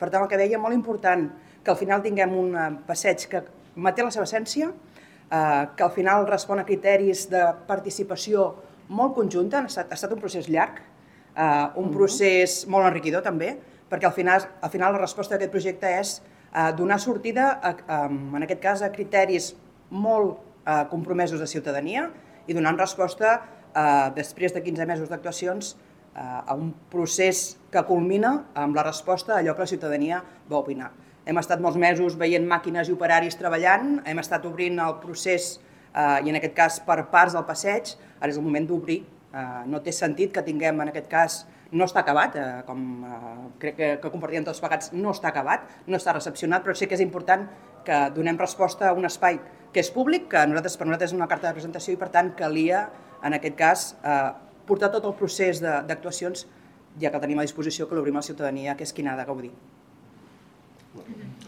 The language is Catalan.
Per tant, el que deia, molt important que al final tinguem un passeig que manté la seva essència, que al final respon a criteris de participació molt conjunta. Ha estat un procés llarg, un procés molt enriquidor també, perquè al final la resposta d'aquest projecte és donar sortida, en aquest cas, a criteris molt compromesos de ciutadania i donant resposta, després de 15 mesos d'actuacions, a un procés que culmina amb la resposta a allò que la ciutadania va opinar. Hem estat molts mesos veient màquines i operaris treballant, hem estat obrint el procés, i en aquest cas per parts del passeig, ara és el moment d'obrir. No té sentit que tinguem, en aquest cas, no està acabat, com crec que compartim tots plegats, no està acabat, no està recepcionat, però sí que és important que donem resposta a un espai que és públic, que per nosaltres és una carta de presentació i per tant calia, en aquest cas, portar tot el procés d'actuacions, ja que el tenim a disposició, que l'obrim a la ciutadania, que és qui n'ha de gaudir.